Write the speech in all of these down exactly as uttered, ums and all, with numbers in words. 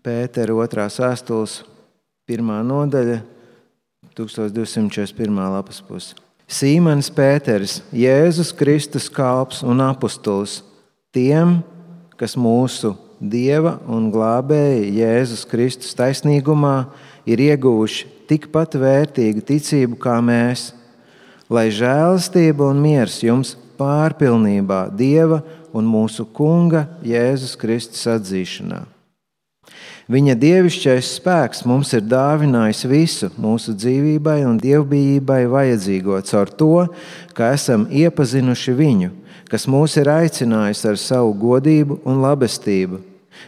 Pētera otrās vēstules pirmā nodaļa, tūkstoš divsimt četrdesmit pirmā lapas puse. Sīmanis Pēteris, Jēzus Kristus kalps un apustulis, tiem, kas mūsu Dieva un glābēja Jēzus Kristus taisnīgumā ir ieguvuši tikpat vērtīgu ticību kā mēs, lai žēlastība un miers jums pārpilnībā Dieva un mūsu Kunga Jēzus Kristus atzīšanā. Viņa dievišķais spēks mums ir dāvinājis visu mūsu dzīvībai un dievbijībai vajadzīgo caur to, ka esam iepazinuši viņu, kas mūs ir aicinājis ar savu godību un labestību.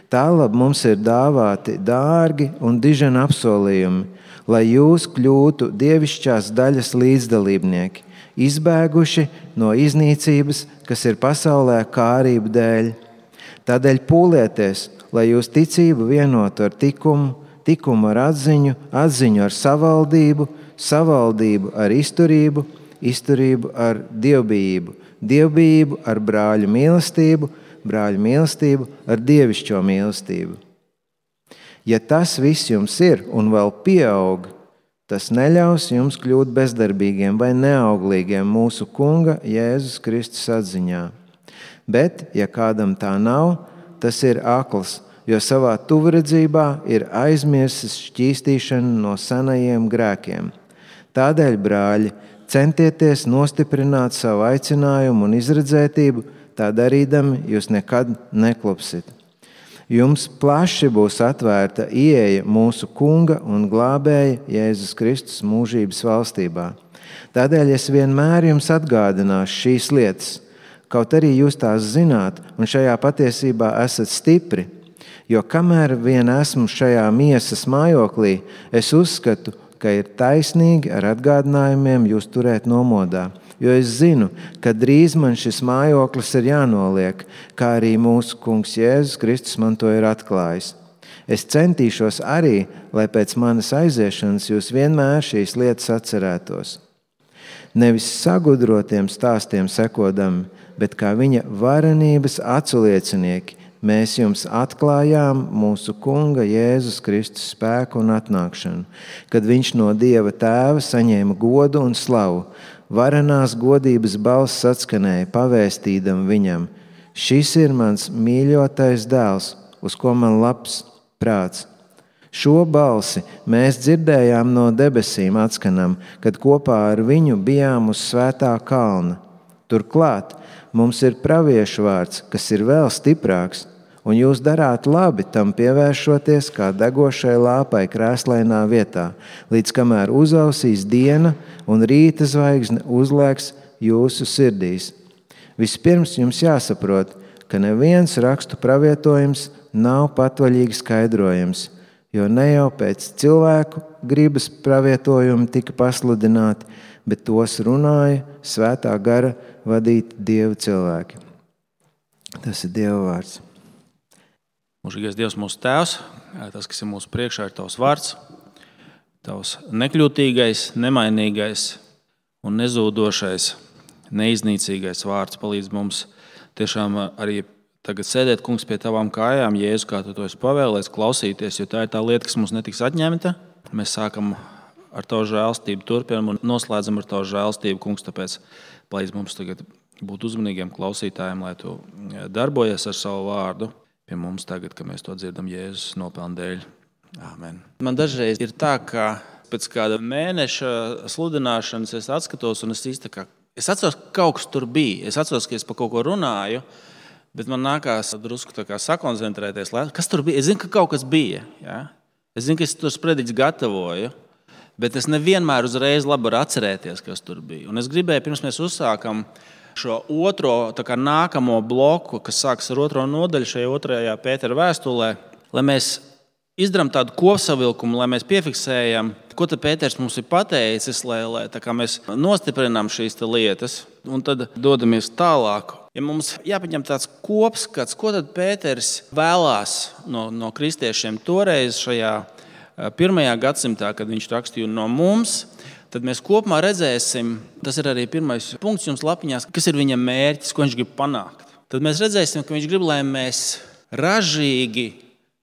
Tālāk mums ir dāvāti dārgi un diženi apsolījumi, lai jūs kļūtu dievišķās daļas līdzdalībnieki, izbēguši no iznīcības, kas ir pasaulē kārību dēļ. Tādēļ pūlieties, lai jūs ticību vienotu ar tikumu, tikumu ar atziņu, atziņu ar savaldību, savaldību ar izturību, izturību ar dievbijību, dievbijību ar brāļu mīlestību, brāļu mīlestību ar dievišķo mīlestību. Ja tas viss jums ir un vēl pieaug, tas neļaus jums kļūt bezdarbīgiem vai neauglīgiem mūsu Kunga Jēzus Kristus atziņā. Bet, ja kādam tā nav, tas ir akls, jo savā tuvredzībā ir aizmirsis šķīstīšanu no senajiem grēkiem. Tādēļ, brāļi, centieties nostiprināt savu aicinājumu un izredzētību, tā darīdami jūs nekad neklupsit. Jums plaši būs atvērta ieeja mūsu Kunga un glābēja Jēzus Kristus mūžības valstībā. Tādēļ es vienmēr jums atgādināšu šīs lietas, kaut arī jūs tās zināt un šajā patiesībā esat stipri, jo kamēr vien esmu šajā miesas mājoklī, es uzskatu, ka ir taisnīgi ar atgādinājumiem jūs turēt nomodā, jo es zinu, ka drīz man šis mājoklis ir jānoliek, kā arī mūsu Kungs Jēzus Kristus man to ir atklājis. Es centīšos arī, lai pēc manas aiziešanas jūs vienmēr šīs lietas atcerētos. Nevis sagudrotiem stāstiem sekodami, bet kā viņa varenības aculiecinieki, mēs jums atklājām mūsu Kunga Jēzus Kristus spēku un atnākšanu, kad viņš no Dieva Tēva saņēma godu un slavu. Varenās godības balss atskanēja, pavēstīdam viņam: šis ir mans mīļotais dēls, uz ko man labs prāts. Šo balsi mēs dzirdējām no debesīm atskanam, kad kopā ar viņu bijām uz svētā kalna. Turklāt mums ir praviešu vārds, kas ir vēl stiprāks, un jūs darāt labi tam pievēršoties kā degošai lāpai krēslainā vietā, līdz kamēr uzausīs diena un rīta zvaigzne uzlēks jūsu sirdīs. Vispirms jums jāsaprot, ka neviens rakstu pravietojums nav patvaļīgi skaidrojams, jo ne jau pēc cilvēku gribas pravietojumi tika pasludināti, bet tos runāja svētā gara vadīti Dieva cilvēki. Tas ir Dieva vārds. Mūžīgais Dievs, mūsu Tēvs, tas, kas ir mūsu priekšā, ir Tavs vārds, Tavs nekļūtīgais, nemainīgais un nezūdošais, neiznīcīgais vārds palīdz mums tiešām arī tagad sēdēt, Kungs, pie Tavām kājām, Jēzu, kā Tu to esi pavēlēts, klausīties, jo tā ir tā lieta, kas mums netiks atņemta. Mēs sākam ar Tavu žēlstību, turpinam un noslēdzam ar Tavu žēlstību, Kungs, tāpēc palīdz mums tagad būt uzmanīgiem klausītājiem, lai Tu darbojies ar savu vārdu pie mums tagad, kad mēs to dzirdam Jēzus nopelnu dēļ. Āmen. Man dažreiz ir tā, ka pēc kāda mēneša sludināšanas es atskatos un es īsti kā, es atceros, ka kaut kas tur bija. Es atceros, ka es par kaut ko runāju, bet man nākās drusku tā kā sakoncentrēties. Kas tur bija? Es zinu, ka kaut kas bija. Ja? Es zinu, ka es tur sprediķis gatavoju, bet es nevienmēr uzreiz labi varu atcerēties, kas tur bija. Un es gribēju, pirms mēs uzsākam šo otro, tā kā nākamo bloku, kas sāks ar otro nodaļu šajā otrajā Pētera vēstulē, lai mēs izdarām tādu kopsavilkumu, lai mēs piefiksējam, ko tad Pēters mums ir pateicis, lai, lai tā kā mēs nostiprinām šīs lietas un tad dodamies tālāk. Ja mums jāpaņem tāds kopskats, ko tad Pēters vēlās no, no kristiešiem toreiz šajā pirmajā gadsimtā, kad viņš rakstīja no mums, tad mēs kopumā redzēsim, tas ir arī pirmais punkts jums lapiņās, kas ir viņa mērķis, ko viņš grib panākt. Tad mēs redzēsim, ka viņš grib, lai mēs ražīgi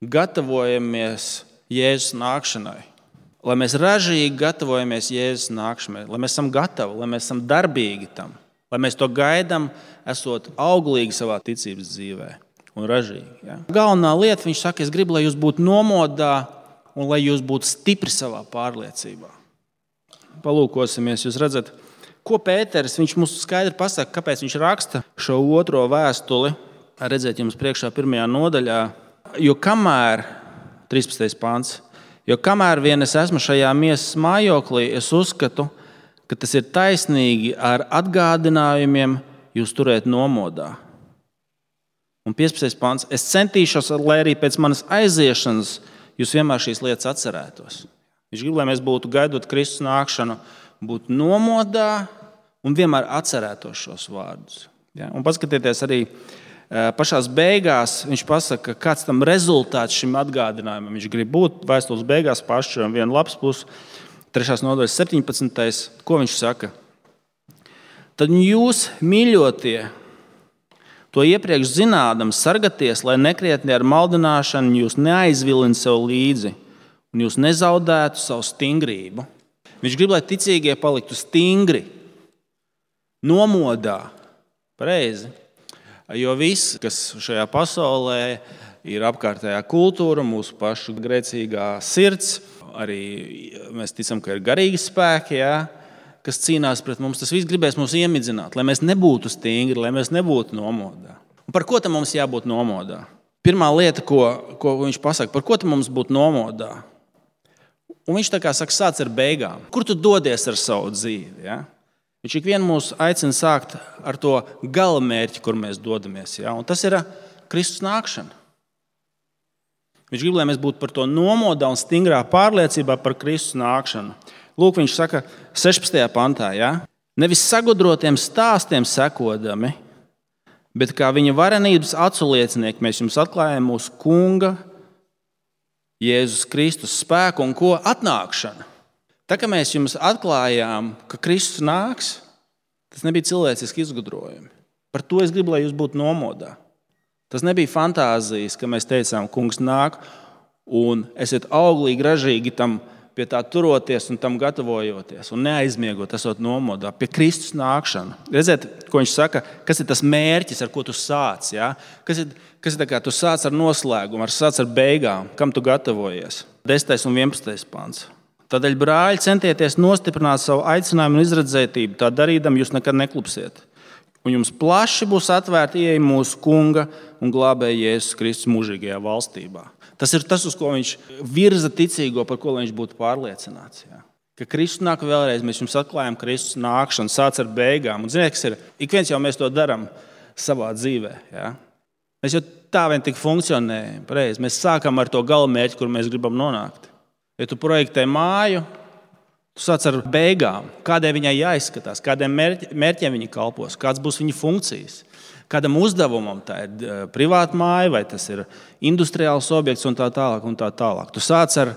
gatavojamies Jēzus nākšanai, lai mēs ražīgi gatavojamies Jēzus nākšanai, lai mēs esam gatavi, lai mēs esam darbīgi tam, lai mēs to gaidām, esot auglīgi savā ticības dzīvē un ražīgi. Ja? Galvenā lieta, viņš saka, es gribu, lai jūs būtu nomodā un lai jūs būtu stipri savā pārliecībā. Palūkosimies, jūs redzat, ko Pēteris, viņš mums skaidri pasaka, kāpēc viņš raksta šo otro vēstuli. Redzēt jums priekšā pirmajā nodaļā, jo kamēr, trīspadsmitais pants, jo kamēr vien es esmu šajā miesas mājoklī, es uzskatu, ka tas ir taisnīgi ar atgādinājumiem jūs turēt nomodā. Un piecpadsmitais pants, es centīšos, lai arī pēc manas aiziešanas jūs vienmēr šīs lietas atcerētos. Viņš grib, lai mēs būtu gaidot Kristus nākšanu, būtu nomodā un vienmēr atcerētos šos vārdus. Ja? Un paskatieties arī pašās beigās, viņš pasaka, kāds tam rezultāts šim atgādinājumam. Viņš grib būt vēstules beigās pašam vienu lapas pusi, trešās nodaļas septiņpadsmitais. Ko viņš saka? Tad jūs, mīļotie, to iepriekš zinādam, sargaties, lai nekrietni ar maldināšanu jūs neaizvilina sev līdzi un jūs nezaudētu savu stingrību. Viņš grib, lai ticīgie paliktu stingri, nomodā, pareizi. Jo viss, kas šajā pasaulē ir apkārtējā kultūra, mūsu pašu grēcīgā sirds, arī mēs ticam, ka ir garīgi spēki, ja, kas cīnās pret mums, tas viss gribēs mums iemidzināt, lai mēs nebūtu stingri, lai mēs nebūtu nomodā. Un par ko tam mums jābūt nomodā? Pirmā lieta, ko, ko viņš pasaka, par ko tam mums būtu nomodā? Un viņš tā kā saka, sāc ar beigām. Kur tu dodies ar savu dzīvi? Ja? Viņš ikvienu mūs aicina sākt ar to galamērķi, kur mēs dodamies. Ja? Un tas ir Kristus nākšana. Viņš grib, lai mēs būtu par to nomodā un stingrā pārliecībā par Kristus nākšanu. Lūk, viņš saka sešpadsmitajā pantā, ja? Nevis sagudrotiem stāstiem sekodami, bet kā viņa varenības aculiecinieki mēs jums atklājam mūsu Kunga Jēzus Kristus spēku un ko atnākšana. Tā kā mēs jums atklājām, ka Kristus nāks, tas nebija cilvēciski izgudrojumi. Par to es gribu, lai jūs būtu nomodā. Tas nebija fantāzijas, ka mēs teicām, kungs nāk, un esiet auglīgi, ražīgi tam pie tā turoties un tam gatavojoties un neaizmiegot, esot nomodā pie Kristus nākšana. Redziet, ko viņš saka, kas ir tas mērķis, ar ko tu sāc, ja? Kas ir, kas ir tā kā tu sāc ar noslēgumu, ar sāc ar beigām, kam tu gatavojies. desmitais un vienpadsmitais pants. Tādēļ, brāļi, centieties nostiprināt savu aicinājumu un izredzētību, tā darīdam jūs nekad neklupsiet. Un jums plaši būs atvērta ieeja mūsu Kunga un glābēja Jēzus Kristus mūžīgajā valstībā. Tas ir tas, uz ko viņš virza ticīgo, par ko viņš būtu pārliecināts. Ja? Ka Kristus nāk vēlreiz, mēs jums atklājam Kristus nākšanu, sāc ar beigām. Un ziniet, kas ir? Ik viens jau mēs to darām savā dzīvē. Ja? Mēs jau tā vien tik funkcionējam. Pareizi. Mēs sākam ar to galamērķi, kur mēs gribam nonākt. Ja tu projektē māju, tu sāc ar beigām. Kādai viņai jāizskatās, kādiem mērķiem viņa kalpos, kāds būs viņa funkcijas. Kādam uzdevumam tā ir privāta māja, vai tas ir industriāls objekts un tā tālāk. Un tā tālāk. Tu sāc ar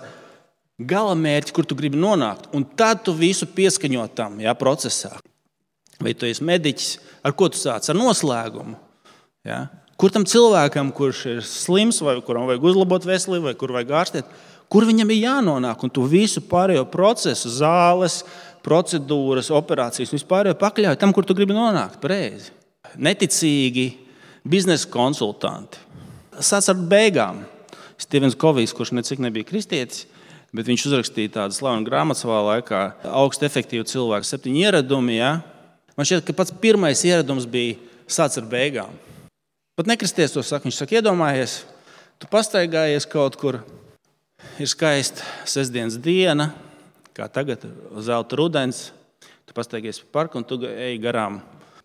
galamērķi, kur tu gribi nonākt, un tad tu visu pieskaņo tam, ja, procesā. Vai tu esi mediķis, ar ko tu sāc? Ar noslēgumu. Ja? Kur tam cilvēkam, kurš ir slims, vai kuram vajag uzlabot veselību, vai kur vajag ārstēt, kur viņam ir jānonāk, un tu visu pārējo procesu, zāles, procedūras, operācijas, vispārējo pakļauj tam, kur tu gribi nonākt, pareizi. Neticīgi biznesa konsultanti. Sāc ar beigām. Stevens Kovijs, kurš necik nebija kristietis, bet viņš uzrakstīja tādu slavenu grāmatu savā laikā, augstu efektīvu cilvēku, septiņi ieradumi. Ja? Man šķiet, ka pats pirmais ieradums bija sāc ar beigām. Pat nekristies to saka. Viņš saka, iedomājies, tu pastaigājies kaut kur, ir skaista sestdienas diena, kā tagad, zelta rudens, tu pastaigies pa parku un tu ej garām.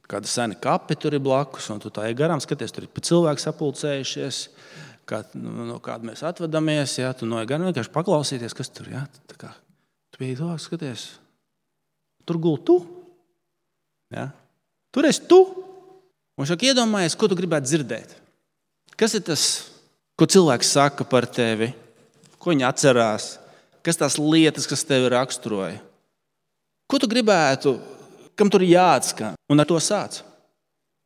Kāda sena kape tur ir blakus, un tu tā ej garām, skaties, tur ir pa cilvēku sapulcējušies, kā, no kāda mēs atvadamies, ja, tu noiet garām, vienkārši paklausīties, kas tur, ja, tā kā, tu biji tuvāk, skaties, tur gul tu, ja, tur esi tu, un šāk iedomājies, ko tu gribētu dzirdēt. Kas ir tas, ko cilvēks saka par tevi, ko viņi atcerās, kas tās lietas, kas tevi raksturoja, ko tu gribētu, kam tur ir jāatskan, un ar to sāc.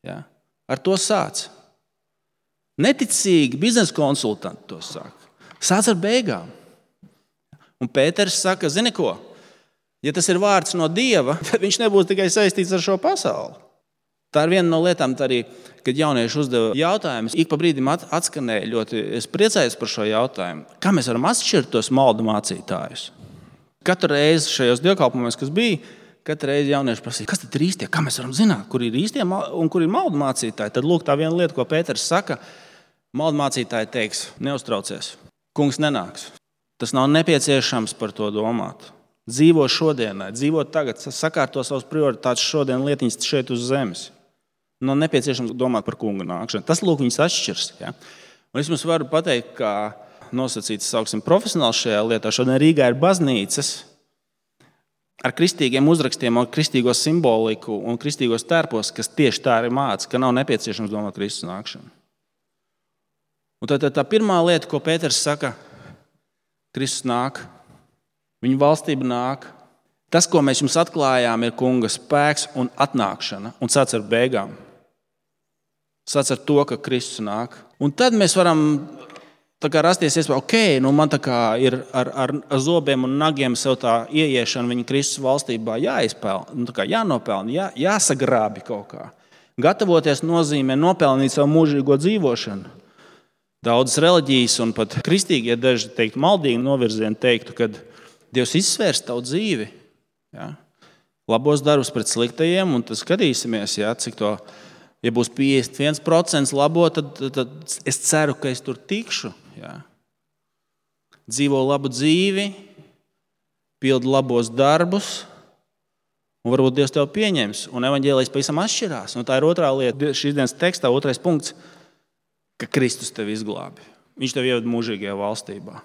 Ja? Ar to sāc. Neticīgi biznesa konsultanti to saka. Sāc ar beigām. Un Pēters saka, zini ko, ja tas ir vārds no Dieva, tad viņš nebūs tikai saistīts ar šo pasauli. Tā ir viena no lietām, arī, kad jaunieši uzdeva jautājumus, ik pa brīdim atskanēja ļoti, es priecājos par šo jautājumu. Kā mēs varam atšķirt tos maldu mācītājus? Katru reizi šajos dievkalpojumos, kas bija, katru reizi jaunieši prasīja, kas tad ir īstie? Kā mēs varam zināt, kur ir īstie un kur ir maldu mācītāji? Tad lūk tā viena lieta, ko Pēters saka, maldu mācītāji teiks, neuztraucies, kungs nenāks. Tas nav nepieciešams par to domāt. Dzīvo šodienai, dzīvo tagad, sakārto savas prioritātes šodien lietiņas šeit uz zemes. Nav nepieciešams domāt par kunga nākšanu. Tas, lūk, viņas atšķirs. Ja? Un es jums varu pateikt, kā nosacīts, sauksim, profesionāls šajā lietā. Šodien Rīgā ir baznīcas ar kristīgiem uzrakstiem, ar kristīgo simboliku un kristīgos tērpos, kas tieši tā arī māca, ka nav nepieciešams domāt Kristus nākšanu. Un tā, tā, tā pirmā lieta, ko Pēters saka, Kristus nāk, viņa valstība nāk. Tas, ko mēs jums atklājām, ir kunga spēks un atnākšana. Un sāc ar beigām. Sāc ar to, ka Kristus nāk. Un tad mēs varam tā kā rasties iespēja, ok, nu man tā kā ir ar, ar, ar zobiem un nagiem sev tā ieiešana viņa Kristus valstībā jāizpelna, nu tā kā jānopelna, jā, jāsagrābi kaut kā. Gatavoties nozīmē nopelnīt savu mūžīgo dzīvošanu. Daudzas reliģijas un pat kristīgie daži teikt, maldīgi novirzieni teiktu, ka Dievs izsvērs tavu dzīvi. Ja? Labos darbus pret sliktajiem, un tad skatīsimies, ja, cik to, ja būs piecdesmit viens procents labo, tad, tad es ceru, ka es tur tikšu. Ja? Dzīvo labu dzīvi, pildi labos darbus, un varbūt Dievs tev pieņems, un evaņģēlijs pavisam atšķirās. Un tā ir otrā lieta, šīs dienas tekstā, otrais punkts, ka Kristus tevi izglābi. Viņš tevi ieved mūžīgajā valstībā.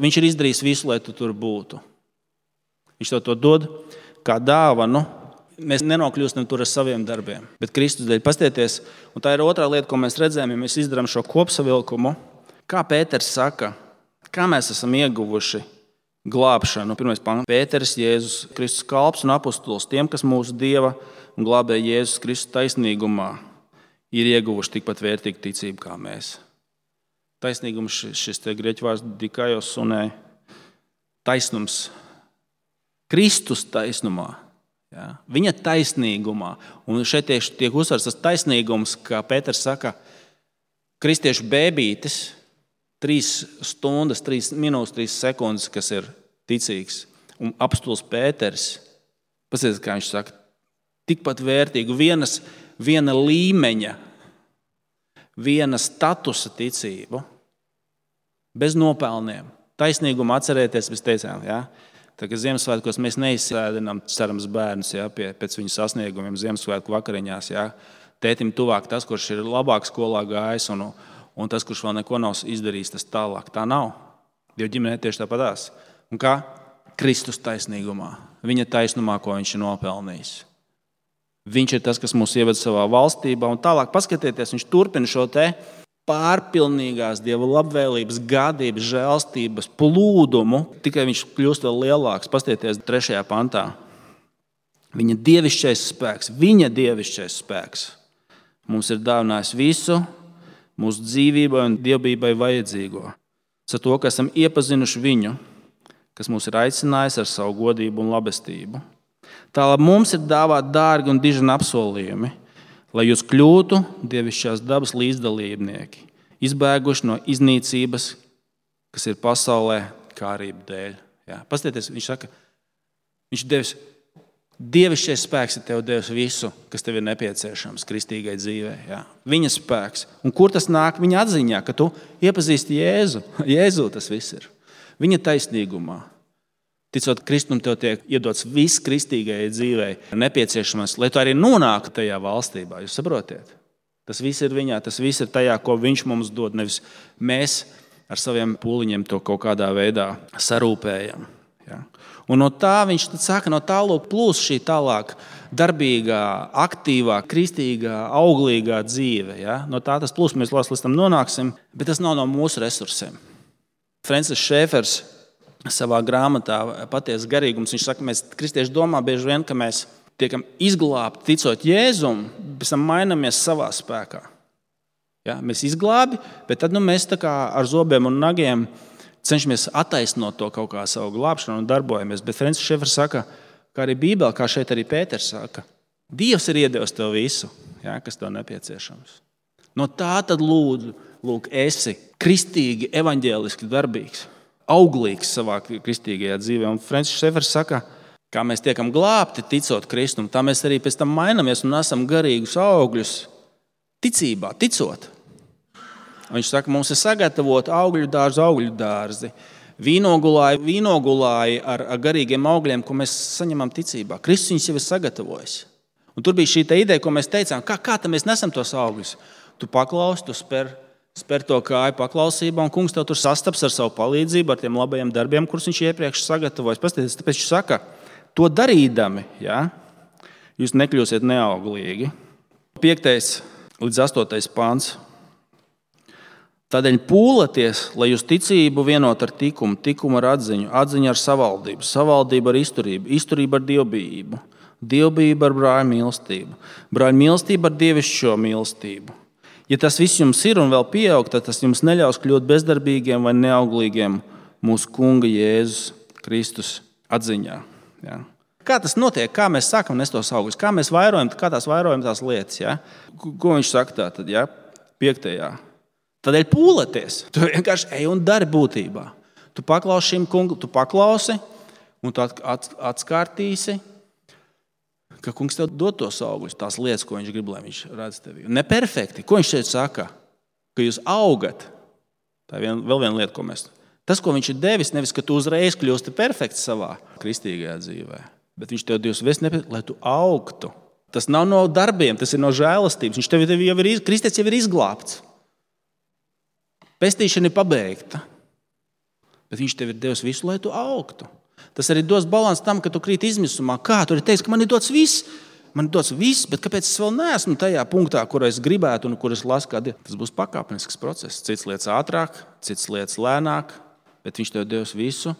Viņš ir izdarījis visu, lai tu tur būtu. Viņš tev to dod kā dāvanu. Mēs nenokļūstam tur ar saviem darbiem, bet Kristus dēļ pastieties. Un tā ir otrā lieta, ko mēs redzējām, ja mēs izdarām šo kopsavilkumu. Kā Pēters saka, kā mēs esam ieguvuši glābšanu. Pirmais pants. Pēters, Jēzus Kristus kalps un apostols tiem, kas mūsu Dieva un glābē Jēzus Kristus taisnīgumā ir ieguvuši tikpat vērtīgu ticību kā mēs. Taisnīgums, šis te grieķu vārds dikaios sunē, taisnums, Kristus taisnumā, ja? Viņa taisnīgumā. Un šeit tieši tiek uzsvars tas taisnīgums, kā Pēters saka, kristiešu bēbītis, trīs stundas, trīs minūtes, trīs sekundes, kas ir ticīgs. Un apostols Pēters, paskatieties, kā viņš saka, tikpat vērtīgu, vienas, viena līmeņa, viena statusa ticību, bez nopelniem. Taisnīgumu atcerēties, mēs teicām, ja? Tā kā Ziemassvētkos mēs neizsēdinām cerams bērnus, ja, pie, pēc viņu sasniegumiem Ziemassvētku vakariņās. Ja. Tētim tuvāk tas, kurš ir labāk skolā gājis, un, un tas, kurš vēl neko nav izdarījis, tas tālāk. Tā nav. Dieva ģimenē tieši tāpatās. Un kā? Kristus taisnīgumā. Viņa taisnumā, ko viņš ir nopelnījis. Viņš ir tas, kas mūs ieved savā valstībā. Un tālāk paskatieties, viņš turpina šo te pārpilnīgās Dieva labvēlības, gādības, žēlstības, plūdumu, tikai viņš kļūst vēl lielāks. Pastieties trešajā pantā. Viņa dievišķais spēks, viņa dievišķais spēks mums ir dāvinājis visu mūsu dzīvībai un dievbijai vajadzīgo. Ar to, ka esam iepazinuši viņu, kas mūs ir aicinājis ar savu godību un labestību. Tālāk mums ir dāvāt dārgi un dižani apsolījumi, lai jūs kļūtu dievišķās dabas līdzdalībnieki, izbēguši no iznīcības, kas ir pasaulē kārību dēļ. Jā, pastieties, viņš saka, viņš devis, dievišķais spēks ir tev devis visu, kas tev ir nepieciešams kristīgai dzīvē. Jā. Viņa spēks. Un kur tas nāk? Viņa atziņā, ka tu iepazīsti Jēzu. Jēzu tas viss ir. Viņa taisnīgumā. Ticot Kristum, tev tiek iedots viss kristīgajai dzīvei nepieciešamais, lai tu arī nonāktu tajā valstībā. Jūs saprotiet? Tas viss ir viņā, tas viss ir tajā, ko viņš mums dod. Nevis mēs ar saviem pūliņiem to kaut kādā veidā sarūpējam. Ja? Un no tā viņš tad saka, no tālāk plūs šī tālāk darbīgā, aktīvā, kristīgā, auglīgā dzīve. Ja? No tā tas plūs, mēs līdz tam nonāksim, bet tas nav no mūsu resursiem. Francis Šēfers savā grāmatā Patiesas garīgums, viņš saka, mēs kristieši domā bieži vien, ka mēs tiekam izglābti ticot Jēzum, pēc tam mainamies savā spēkā. Ja? Mēs izglābi, bet tad nu, mēs tā kā ar zobiem un nagiem cenšamies attaisnot to kaut kā savu glābšanu un darbojamies. Bet Francis Šefers saka, kā arī Bībelē, kā šeit arī Pēters saka, Dievs ir iedevis tev visu, jā, kas tev nepieciešams. No tā tad lūdzu, lūk, esi kristīgi, evaņģēliski darbīgs, auglīgs savā kristīgajā dzīvē. Un Francis Šefers saka, kā mēs tiekam glābti, ticot Kristum, tā mēs arī pēc tam mainamies un esam garīgus augļus ticībā, ticot. Viņš saka, mums ir sagatavot augļu dārzi, augļu dārzi, vīnogulāji, vīnogulāji ar, ar garīgiem augļiem, ko mēs saņemam ticībā. Kristus viņus jau ir sagatavojis. Un tur bija šī ideja, ko mēs teicām, kā, kā mēs nesam tos augļus. Tu paklausi, tu spēr, spēr to kāju paklausībā, un kungs tev tur sastaps ar savu palīdzību, ar tiem labajiem darbiem, kurus viņš iepriekš sagatavojas. Pastāties, tāpēc viņš saka, to darīdami, ja, jūs nekļūsiet neauglīgi. Piektais līdz astotais pāns. Tādēļ pūlaties, lai jūs ticību vienot ar tikumu, tikumu ar atziņu, atziņu ar savaldību, savaldību ar izturību, izturību ar dievbijību, dievbijību ar brāļu mīlestību, brāļu mīlestību ar dievišķo mīlestību. Ja tas viss jums ir un vēl pieaug, tad tas jums neļaus kļūt bezdarbīgiem vai neauglīgiem mūsu Kunga Jēzus Kristus atziņā. Ja? Kā tas notiek? Kā mēs sākam nest tos augļus? Kā mēs vairojam, kā tās vairojam tās lietas? Ja? Ko viņš saka tā tad? Ja? Piektajā. Tādēļ pūlaties. Tu vienkārši ej un dari būtībā. Tu paklausi šim kungam, tu paklausi un tu atskārtīsi, ka kungs tev dod tos augļus, tās lietas, ko viņš grib, lai viņš redz tevi. Neperfekti. Ko viņš šeit saka? Ka jūs augat. Tā ir vien, vēl viena lieta, ko mēs... Tas, ko viņš ir devis, nevis, ka tu uzreiz kļūsti perfekts savā kristīgajā dzīvē, bet viņš tev Dievs ves nepēc, lai tu augtu. Tas nav no darbiem, tas ir no žēlastības. Viņš tev jau ir, Kristus jau ir izglābts. Pestīšana ir pabeigta, bet viņš tev ir devis visu, lai tu augtu. Tas arī dos balansu tam, ka tu krīt izmisumā. Kā? Tu arī teici, ka man ir dots viss, man ir dots viss, bet kāpēc es vēl neesmu tajā punktā, kur es gribētu un kur es lasu kā Dievu? Tas būs pakāpenisks process. Cits lietas ātrāk, cits lietas lēnāk, bet viņš tev devis visu,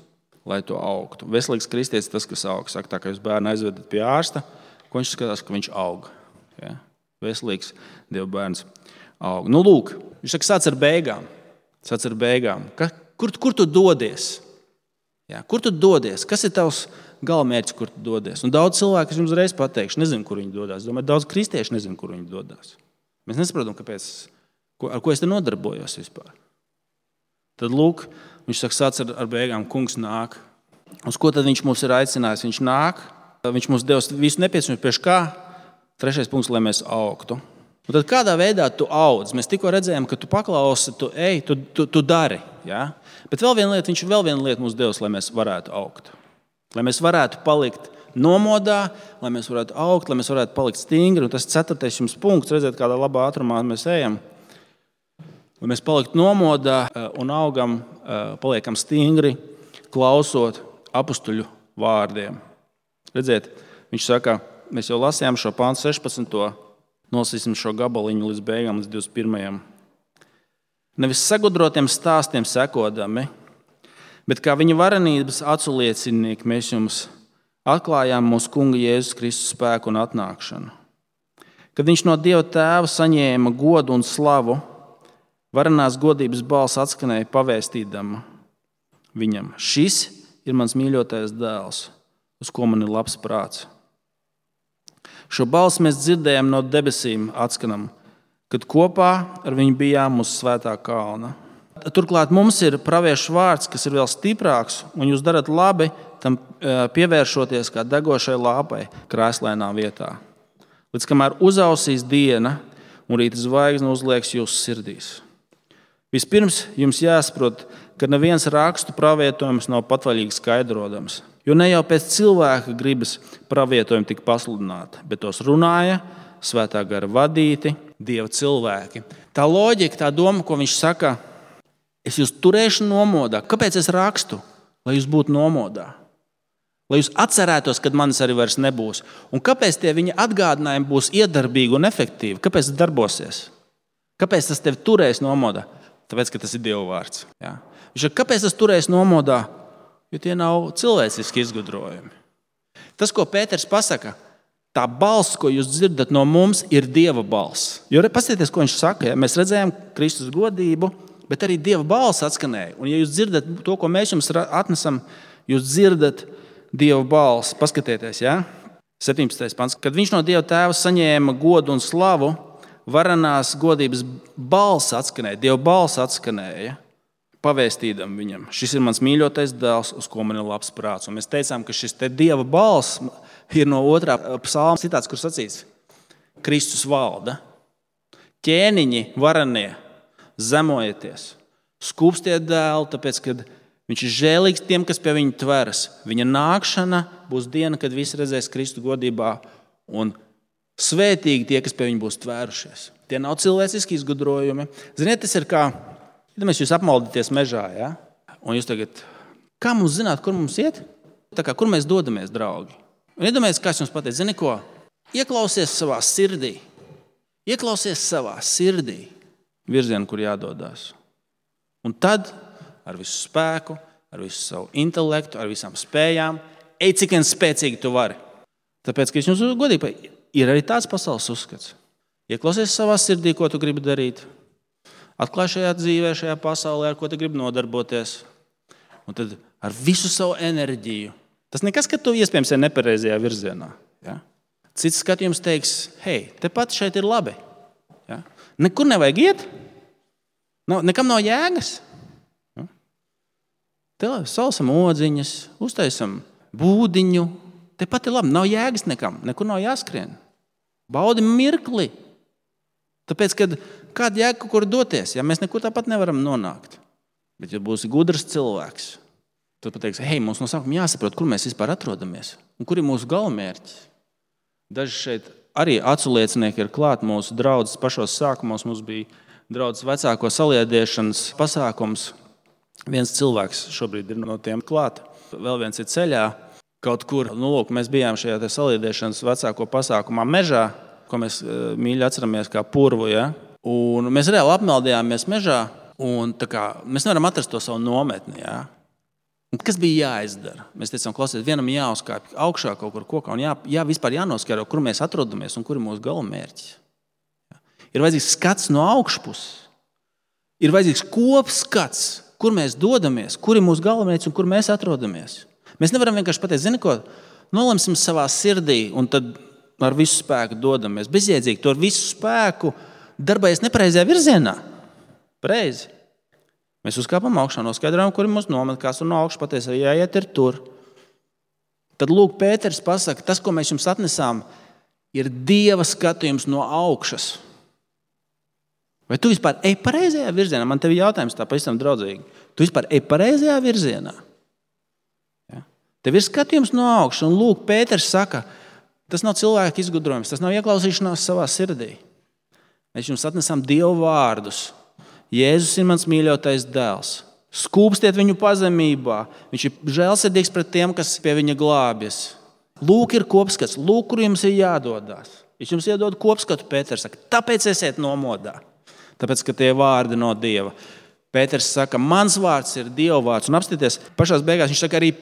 lai tu augtu. Veselīgs kristietis tas, kas aug. Saka tā, ka jūs bērnu aizvedat pie ārsta, ko viņš skatās, ka viņš aug. Ja? Veselīgs Dieva bērns aug. Nu, lūk, viņš saka, sāc ar beigām. Sāc ar beigām. Kur, kur tu dodies? Jā, kur tu dodies? Kas ir tavs galamērķis, kur tu dodies? Un daudz cilvēku, es jums reiz pateikšu, nezinu, kur viņi dodās. Domāju, daudz kristieši nezinu, kur viņi dodās. Mēs nesaprotam, kāpēc, ar ko es te nodarbojos vispār. Tad lūk, viņš saka, sāc ar, ar beigām, kungs nāk. Uz ko tad viņš mums ir aicinājis? Viņš nāk, viņš mums devis visu nepieciešamo, priekš kā? Trešais punkts, lai mēs augtu. Un tad kādā veidā tu audz? Mēs tikko redzējām, ka tu paklausi, tu ej, tu, tu, tu dari. Ja? Bet vēl viena lieta, viņš vēl vienu lietu mums devis, lai mēs varētu augt. Lai mēs varētu palikt nomodā, lai mēs varētu augt, lai mēs varētu palikt stingri. Un tas ceturtais jums punkts, redziet, kādā labā ātrumā mēs ejam. Lai mēs paliktu nomodā un augam, paliekam stingri, klausot apustuļu vārdiem. Redziet, viņš saka, mēs jau lasījām šo pāntu sešpadsmito Nolasīsim šo gabaliņu līdz beigām, līdz divdesmit pirmajam. Nevis sagudrotiem stāstiem sekodami, bet kā viņa varenības aculiecinieki mēs jums atklājām mūsu Kunga Jēzus Kristus spēku un atnākšanu. Kad viņš no Dieva Tēva saņēma godu un slavu, varenās godības balss atskanēja pavēstīdama viņam. Šis ir mans mīļotais dēls, uz ko man ir labs prāts. Šo balsi mēs dzirdējām no debesīm atskanam, kad kopā ar viņu bijām uz svētā kalna. Turklāt mums ir praviešu vārds, kas ir vēl stiprāks, un jūs darat labi tam pievēršoties kā degošai lāpai krēslainā vietā. Līdz kamēr uzausīs diena un rīta zvaigzne uzliekas jūsu sirdīs. Vispirms jums jāsaprot, ka neviens rakstu pravietojums nav patvaļīgi skaidrodams. Jo ne jau pēc cilvēka gribas pravietojumi tika pasludināti, bet tos runāja svētā gara vadīti Dieva cilvēki. Tā loģika, tā doma, ko viņš saka, es jūs turēšu nomodā. Kāpēc es rakstu? Lai jūs būtu nomodā. Lai jūs atcerētos, kad manis arī vairs nebūs. Un kāpēc tie viņa atgādinājumi būs iedarbīgi un efektīvi? Kāpēc tas darbosies? Kāpēc tas tevi turēs nomodā? Tāpēc, ka tas ir Dieva vārds. Ja? Viņš saka, kāpēc tas turēs nomodā? Jo tie nav cilvēciski izgudrojumi. Tas, ko Pēters pasaka, tā balss, ko jūs dzirdat no mums, ir Dieva balss. Jo paskatieties, ko viņš saka. Ja? Mēs redzējām Kristus godību, bet arī Dieva balss atskanēja. Un ja jūs dzirdat to, ko mēs jums atnesam, jūs dzirdat Dieva balss. Paskatieties, ja? septiņpadsmitais pants. Kad viņš no Dieva tēva saņēma godu un slavu, varenās godības balss atskanēja, Dieva balss atskanēja, pavēstīdam viņam. Šis ir mans mīļotais dēls, uz ko man ir labs prāts. Un mēs teicām, ka šis te Dieva balss ir no otrā psalma citāts, kur sacīts: Kristus valda. Ķēniņi varenie, zemojieties, skūpstiet dēlu, tāpēc, kad viņš ir žēlīgs tiem, kas pie viņa tveras. Viņa nākšana būs diena, kad visi redzēs Kristu godībā, un svētīgi tie, kas pie viņa būs tvērušies. Tie nav cilvēciski izgudrojumi. Ziniet, tas ir kā, ja mēs jūs apmaldaties mežā, ja? Un jūs tagad, kā mums zināt, kur mums iet? Tā kā, kur mēs dodamies, draugi? Un iedomājies, kā es jums pateicu, zini ko? Ieklausies savā sirdī. Ieklausies savā sirdī virzienu, kur jādodās. Un tad ar visu spēku, ar visu savu intelektu, ar visām spējām, ej, cik vien spēcīgi tu vari. Tāpēc, ka es jums godīgi, ir arī tāds pasaules uzskats. Ieklausies savā sirdī, ko tu gribi darīt. Atklāj šajā dzīvē, šajā pasaulē, ar ko tu gribi nodarboties. Un tad ar visu savu enerģiju. Tas nekas, ka tu iespējams ir nepareizajā virzienā. Ja? Cits skatījums teiks, hei, tepat šeit ir labi. Ja? Nekur nevajag iet. No, nekam nav jēgas. Ja? Te salsam odziņas, uztaisam būdiņu. Tepat ir labi, nav jēgas nekam, nekur nav jāskrien. Baudi mirkli. Tāpēc, kad kāda jēga kaut kur doties, ja mēs nekur tāpat nevaram nonākt. Bet, ja būsi gudrs cilvēks, tad pateiks, hei, mums no sākuma jāsaprot, kur mēs vispār atrodamies un kur ir mūsu galamērķis. Daži šeit arī aculiecinieki ir klāt mūsu draudzes pašos sākumos. Mums bija draudzes vecāko saliedēšanas pasākums. Viens cilvēks šobrīd ir no tiem klāt, vēl viens ir ceļā kaut kur. Nu, lūk, mēs bijām šajā te saliedēšanas vecāko pasākumā mežā, ko mēs mīļi atceramies kā purvu. Ja? Un mēs reāli apmeldījāmies mežā, un tā kā, mēs nevaram atrast to savu nometni. Ja? Un kas bija jāizdara? Mēs teicām, klausies, vienam jāuzkāpj augšā kaut kur kokā, un jā, jā, vispār jānoskaidro, kur mēs atrodamies un kur ir mūsu galamērķis. Ja? Ir vajadzīgs skats no augšpuses. Ir vajadzīgs kopskats, kur mēs dodamies, kur ir mūsu galamērķis un kur mēs atrodamies. Mēs nevaram vienkārši pateikt, zini ko, nolemsim savā sirdī un tad ar visu spēku dodamies. Bezjēdzīgi, to ar visu spēku darbojas nepareizajā virzienā. Pareizi. Mēs uzkāpam augšā, noskaidrojam, kur ir mūsu nometne, kāds tur no augšas pateiks, arī jāiet ir tur. Tad lūk, Pēters pasaka, tas, ko mēs jums atnesām, ir Dieva skatījums no augšas. Vai tu vispār ej pareizajā virzienā? Man tev jautājums tā pavisam draudzīgi. Tu vispār ej pareizajā virzienā? Ja? Tev ir skatījums no augšas, un lūk, Pēters saka, tas nav cilvēka izgudrojums, tas nav ieklausīšanās savā sirdī. Mēs jums atnesam Dievu vārdus. Jēzus ir mans mīļotais dēls. Skūpstiet viņu pazemībā. Viņš ir žēlsirdīgs pret tiem, kas pie viņa glābjas. Lūk, ir kopskats. Lūk, kur jums ir jādodās. Viņš jums iedod kopskatu, Pēters saka, tāpēc esiet nomodā. Tāpēc, ka tie vārdi no Dieva. Pēters saka, mans vārds ir Dieva vārds. Un apstieties, pašās beigās viņš saka, arī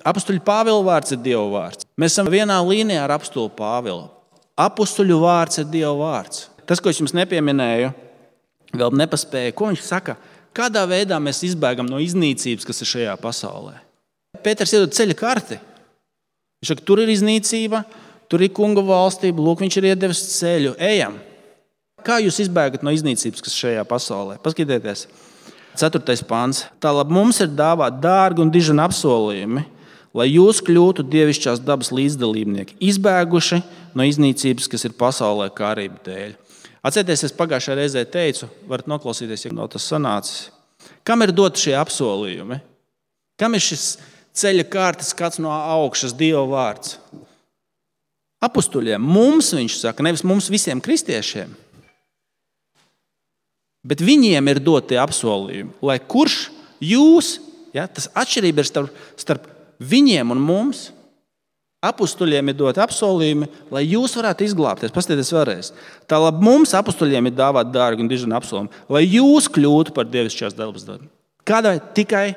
apustuļu Pāvila vārds ir Dieva vārds. Mēs esam vienā līnijā ar apustuļu Pāvilu. Apustuļu vārds ir Dieva vārds. Tas, ko es jums nepieminēju, vēl nepaspēju, ko viņš saka, kādā veidā mēs izbēgam no iznīcības, kas ir šajā pasaulē. Pēters iedod ceļa karti. Viņš saka, tur ir iznīcība, tur ir kunga valstība, lūk, viņš ir iedevis ceļu, ejam. Kā jūs izbēgat no iznīcības, kas šajā pasaulē? Paskatieties, ceturtais pāns. Tālāk mums ir dāvāt dārgi un dižani apsolījumi, lai jūs kļūtu dievišķās dabas līdzdalībnieki, izbēguši no iznīcības, kas ir pasaulē kārību dēļ. Atcerieties, es pagājušajā reizē teicu, varat noklausīties, ja nav tas sanācis. Kam ir doti šie apsolījumi? Kam ir šis ceļa kārtas skats no augšas, Dieva vārds? Apustuļiem. Mums, viņš saka, nevis mums visiem kristiešiem. Bet viņiem ir doti apsolījumi, lai kurš jūs, ja, tas atšķirība ir starp, starp viņiem un mums, apustuļiem ir doti apsolījumi, lai jūs varētu izglābties. Paskatieties vēlreiz. Tā labi mums apustuļiem ir dāvāt dārgi un dižani apsolījumi, lai jūs kļūtu par dievišķās dabas darbu. Kādai tikai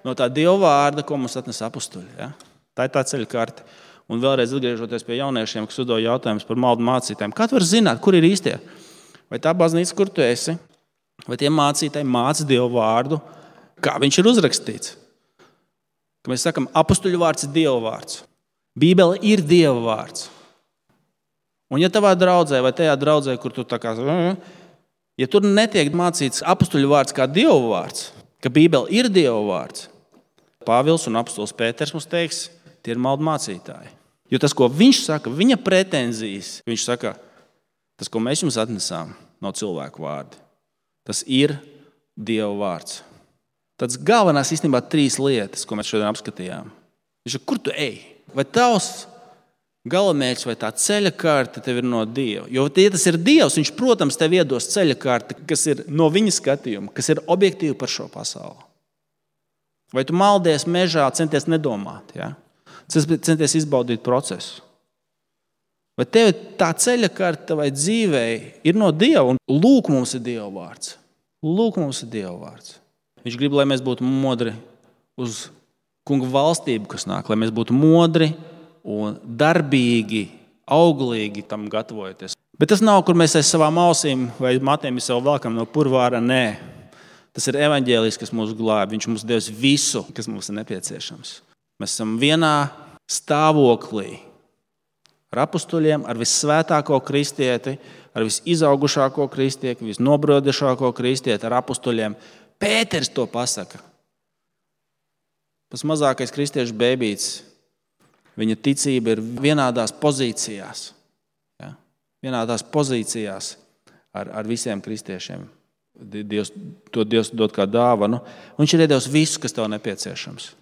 no tā Dieva vārda, ko mums atnes apustuļi. Ja? Tā ir tā ceļa karte. Un vēlreiz atgriežoties pie jauniešiem, kas uzdod jautājumus par maldu mācītājiem. Kā tu vari zināt, kur ir īstie? Vai tā baznīca, kur tu esi? Vai tie mācītāji māca Dievu vārdu, kā viņš ir uzrakstīts? Ka mēs sakam, apustuļu vārds ir Dieva vārds. Bībele ir Dieva vārds. Un ja tavā draudzē vai tajā draudzē, kur tu tā kā, ja tur netiek mācīts apustuļu vārds kā Dieva vārds, ka Bībele ir Dieva vārds, Pāvils un apustulis Pēters mums teiks, tie ir maldu mācītāji. Jo tas, ko viņš saka, viņa pretenzijas, viņš saka, tas, ko mēs jums atnesām, nav cilvēku vārdi. Tas ir Dieva vārds. Tas galvenās īstenībā trīs lietas, ko mēs šodien apskatījām. Viņš saka, kur tu ej? Vai tavs galamērķis vai tā ceļa karte tev ir no Dieva? Jo, ja tas ir Dievs, viņš, protams, tev iedos ceļa karte, kas ir no viņa skatījuma, kas ir objektīvi par šo pasauli. Vai tu maldies mežā, centies nedomāt, ja? Centies izbaudīt procesu? Vai tev tā ceļa karte vai dzīvei ir no Dieva? Un lūk, mums ir Dieva vārds. Lūk, mums ir Dieva vārds. Viņš grib, lai mēs būtu modri uz kunga valstību, kas nāk, lai mēs būtu modri un darbīgi, auglīgi tam gatavojoties. Bet tas nav, kur mēs aiz savām ausīm vai matiem sev velkam no purvāra, nē. Tas ir evaņģēlijs, kas mūs glāb. Viņš mums devis visu, kas mums ir nepieciešams. Mēs esam vienā stāvoklī ar apustuļiem, ar vissvētāko kristieti, ar visizaugušāko kristieti, visnobrodušāko kristieti, ar apustuļiem. Pēters to pasaka. Tas mazākais kristiešu bēbīts, viņa ticība ir vienādās pozīcijās. Ja? Vienādās pozīcijās ar, ar visiem kristiešiem. Dievs, to Dievs dod kā dāvanu. Viņš ir iedevis visu, kas tev nepieciešams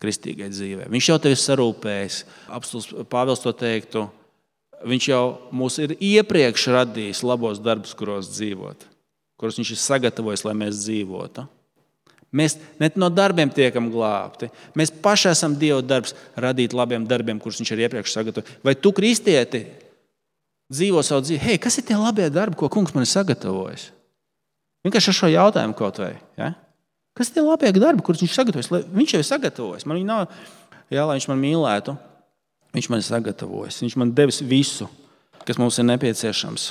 kristīgai dzīvē. Viņš jau tevi sarūpējis. Apustulis Pāvils to teiktu. Viņš jau mūs ir iepriekš radījis labos darbus, kuros dzīvot, kuros viņš ir sagatavojis, lai mēs dzīvotu. Mēs ne no darbiem tiekam glābti. Mēs paši esam Dieva darbs radīt labiem darbiem, kurus viņš ir iepriekš sagatavojis. Vai tu, kristieti, dzīvo savu dzīvi? Hei, kas ir tie labie darbi, ko kungs man ir sagatavojis? Vienkārši ar šo jautājumu kaut vai. Ja? Kas ir tie labie darbi, kurus viņš sagatavojis? Viņš jau ir sagatavojis. Man nav, jā, lai viņš man mīlētu. Viņš man ir sagatavojis. Viņš man devis visu, kas mums ir nepieciešams.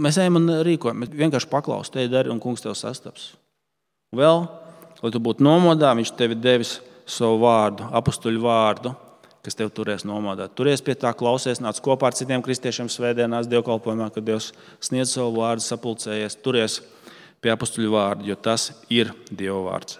Mēs ejam un rīkojam. Mēs vienkārši paklaus, te dari un kungs tev sastaps. Vēl, lai tu būtu nomodā, viņš tevi devis savu vārdu, apustuļu vārdu, kas tev turēs nomodā. Turies pie tā, klausies, nāc kopā ar citiem kristiešiem svētdienās dievkalpojumā, kad Dievs sniedz savu vārdu, sapulcējies. Turies pie apustuļu vārdu, jo tas ir Dieva vārds.